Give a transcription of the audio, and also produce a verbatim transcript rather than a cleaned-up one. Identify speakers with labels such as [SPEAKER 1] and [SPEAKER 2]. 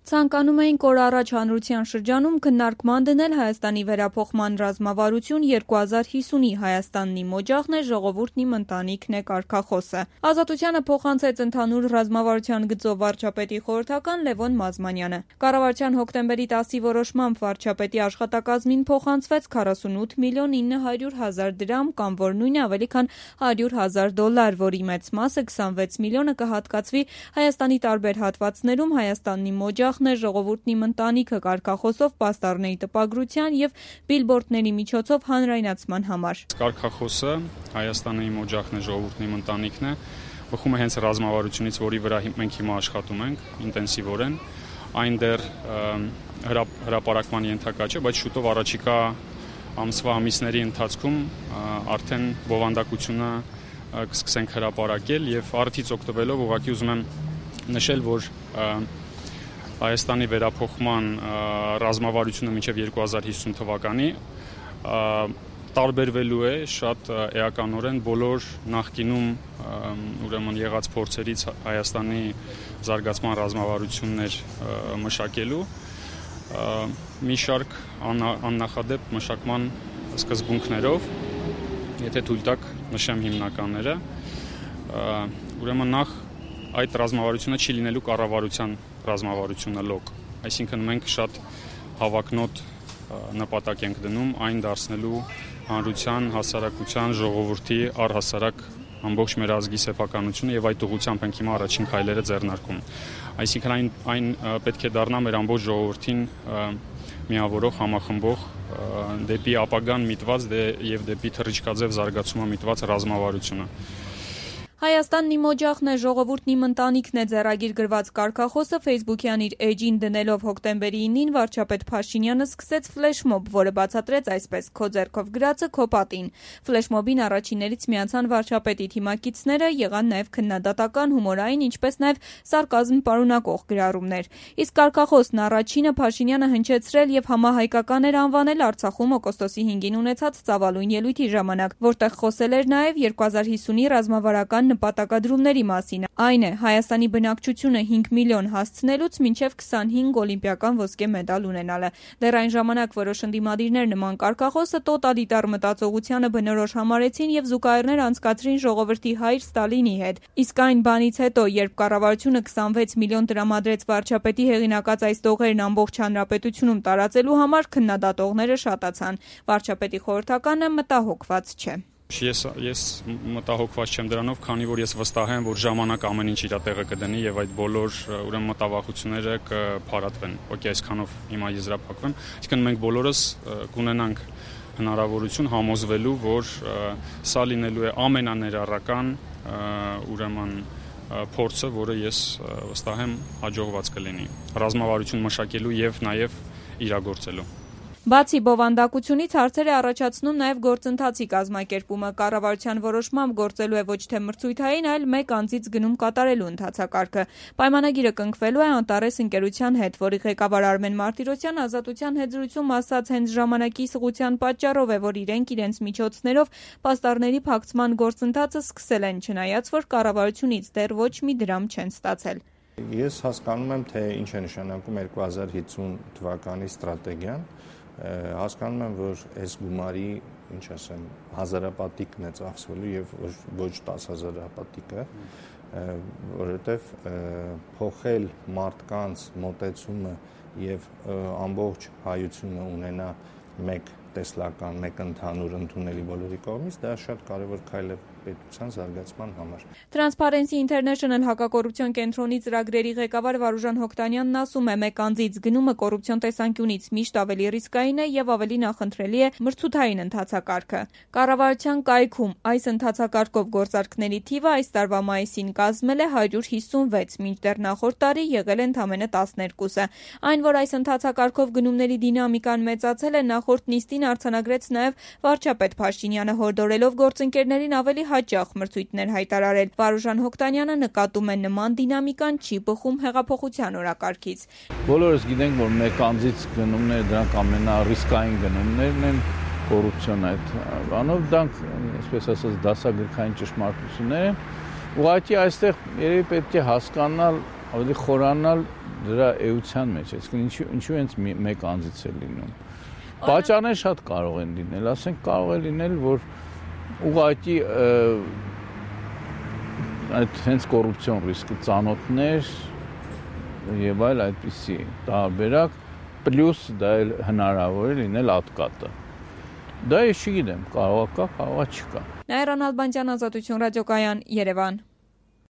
[SPEAKER 1] Ցանկանում էինք օր առաջ հանրության շրջանում քննարկման դնել Հայաստանի վերափոխման ռազմավարություն երկու հազար հիսունի Հայաստանն իմ օջախն է, ժողովուրդն իմ ընտանիքն է կարգախոսը։ Ազատությանը փոխանցեց ընդհանուր ռազմավարության գծով վարչապետի խորհրդական Լևոն Մազմանյանը։ Կառավարության հոկտեմբերի տասի որոշմամբ վարչապետի աշխատակազմին փոխանցվեց քառասունութ միլիոն ինը հարյուր հազար դրամ կամ որ նույնը ավելի քան հարյուր հազար դոլար, որի մեծ մասը քսանվեց միլիոնը կհատկացվի Հայաստանի տարբեր հատվածներում Հայաստանն իմ օջախ ժողովուրդն իմ ընտանիքը կարգախոսով պաստառների տպագրության եւ բիլբորդների միջոցով հանրայնացման համար։
[SPEAKER 2] Կարգախոսը Հայաստանը իմ օջախն է, ժողովուրդն իմ ընտանիքն է, բխում է հենց ռազմավարությունից, որի վրա մենք հիմա աշխատում ենք ինտենսիվորեն, այն դեռ հրապարակման ենթակա չէ, բայց շուտով առաջիկա ամսվա ամիսների ընթացքում արդեն բովանդակությունը կսկսենք հրապարակել եւ արդից օգտվելով ուղղակի ուզում եմ նշել, որ Հայաստանի վերափոխման ռազմավարությունը մինչև երկու հազար հիսուն թվականի տարբերվելու է շատ էականորեն բոլոր նախկինում ուրեմն եղած փորձերից Հայաստանի զարգացման ռազմավարություններ մշակելու մի շարք աննախադեպ մշակման սկզբունքներով, եթե թույլ տաք նշեմ հիմնականները, ուրեմն նախ այդ ռազմավարությունը չի լինելու կառավարության ռազմավարությունը լոկ, այսինքն մենք շատ հավակնոտ նպատակ ենք դնում այն դարձնելու հանրության, հասարակության, ժողովրդի առհասարակ ամբողջ մեր ազգի սեփականությունը եւ այդ ուղղությամբ ենք հիմա առաջին քայլերը ձեռնարկում։ Այսինքն այն այն պետք է դառնա մեր ամբողջ ժողովրդին միավորող, համախմբող դեպի ապագան միտված եւ դեպի թռիչքաձև զարգացումը միտված ռազմավարությունը։
[SPEAKER 1] Հայաստանն իմ օջախն է, ժողովուրդն իմ ընտանիքն է ձեռագիր գրված կարգախոսը Facebook-յան իր էջին դնելով հոկտեմբերի ինին վարչապետ Փաշինյանը սկսեց ֆլեշմոբ, որը բացատրեց այսպես. «Քո ձեռքով գրածը քո պատին»։ Ֆլեշմոբին առաջիններից միացան վարչապետի թիմակիցները, եղան նաև քննադատական, հումորային, ինչպես նաև սարկազմ պարունակող գրառումներ։ Իսկ կարգախոսն առաջինը Փաշինյանը հնչեցրել եւ համահայկական էր անվանել Արցախում օգոստոսի հինգին ունեցած ծավալուն ելույթի ժամանակ, որտեղ խոսել էր նաև երկու հազար հիսունի ռազմավարական նպատակադրումների մասին, այն է Հայաստանի բնակչությունը հինգ միլիոն հասցնելուց մինչև քսանհինգ օլիմպիական ոսկե մեդալ ունենալը։ Դեռ այն ժամանակ որոշ ընդդիմադիրներ նման կարգախոսը տոտալիտար մտածողությանը բնորոշ համարեցին եւ զուգահեռներ անցկացրին ժողովրդի հայր Ստալինի հետ։ Իսկ այն բանից հետո, երբ կառավարությունը քսանվեց միլիոն տրամադրեց վարչապետի հեղինակած այս տողերն ամբողջ հանրապետությունում տարածելու համար, քննադատողները շատացան։ Վարչապետի խորհրդականը մտահոգված չէ։
[SPEAKER 2] Ես ես մտահոգված չեմ դրանով, քանի որ ես վստահ եմ, որ ժամանակ ամեն ինչ իր տեղը կդնի եւ այդ բոլոր ուրեմն մտավախությունները կփարատվեն։ Okay, այսքանով հիմա եզրափակվեմ։ Այսինքն մենք բոլորս կունենանք հնարավորություն համոզվելու, որ սա լինելու է ամենաներառական ուրեմն փորձը, որը ես վստահ եմ հաջողված կլինի ռազմավարություն մշակելու եւ նաեւ իրագործելու։
[SPEAKER 1] Բացի բովանդակությունից հարցեր է առաջացնում նաև գործընթացի կազմակերպումը։ Կառավարության որոշմամբ գործելու է ոչ թե մրցույթային, այլ մեկ անձից գնում կատարելու ընթացակարգը։ Պայմանագիրը կնքվելու է Անտարես ընկերության հետ, որի ղեկավար Արմեն Մարտիրոսյան ազատության հետ զրույցում ասաց հենց ժամանակի սղության պատճառով է, որ իրենք իրենց միջոցներով պաստառների փակցման գործընթացը սկսել են, չնայած որ կառավարությունից դեռ ոչ մի դրամ չեն ստացել։
[SPEAKER 3] Ես հասկանում եմ, թե ինչ է նշանակում երկու հազար հիսուն թվականի ստրատեգիան, հասկանում եմ, որ այս գումարի, ինչ ասեմ, հազարապատիկն է ծախսվելու եւ ոչ տասը հազարապատիկը, որովհետեւ փոխել մարդկանց մոտեցումը եւ ամբողջ հայությունը ունենա մեկ տեսլական, մեկ ընդհանուր ընդունելի բոլորի կողմից, դա շատ կարևոր քայլ է պետության զարգացման համար։
[SPEAKER 1] Transparency International հակակոռուպցիոն կենտրոնի ծրագրերի ղեկավար Վարուժան Հոկտանյանն ասում է, մեկ անձից գնումը կոռուպցիոն տեսանկյունից միշտ ավելի ռիսկային է եւ ավելի նախընտրելի է մրցութային ընթացակարգը։ Կառավարության կայքում այս ընթացակարգով գործարքների թիվը այս տարվա մայիսին կազմել է հարյուր հիսունվեց, մինչդեռ նախորդ տարի եղել է ընդամենը տասներկուսը։ Այն, որ այս ընթացակարգով գնումների դինամիկան մեծացել է, նախորդ նիստին արձանագրեց նաև վարչապետ Փաշինյանը, հորդորելով գործընկերներին ավելի հաճախ մրցույթներ հայտարարել։ Վարուժան Հոկտանյանը նկատում է նման դինամիկան չի բխում հեղափոխության օրակարգից։
[SPEAKER 4] Բոլորս գիտենք, որ մեկ անձից գնումները դրանք ամենառիսկային գնումներն են կոռուպցիոն այդ բանով, դրանք, այսպես ասած, դասագրքային ճշմարտություններ են։ Ուղղակի այստեղ երևի պետք է հասկանալ, ավելի խորանալ դրա էության մեջ, այսինքն ինչու ինչու հենց մեկ անձից է լինում։ Պատճառներ շատ կարող են լինել, ասենք կարող է լինել, որ ուղղակի այդ հենց կոռուպցիոն ռիսկը ծանոթներ եւ այլ այդպիսի տարբերակ, պլյուս դա էլ հնարավոր է լինել ատկատը։ Դա ես չգիտեմ, կարող է կա, կարող է չկա։
[SPEAKER 1] Նաիրա Նալբանդյան, Ազատություն ռադիոկայան, Երևան։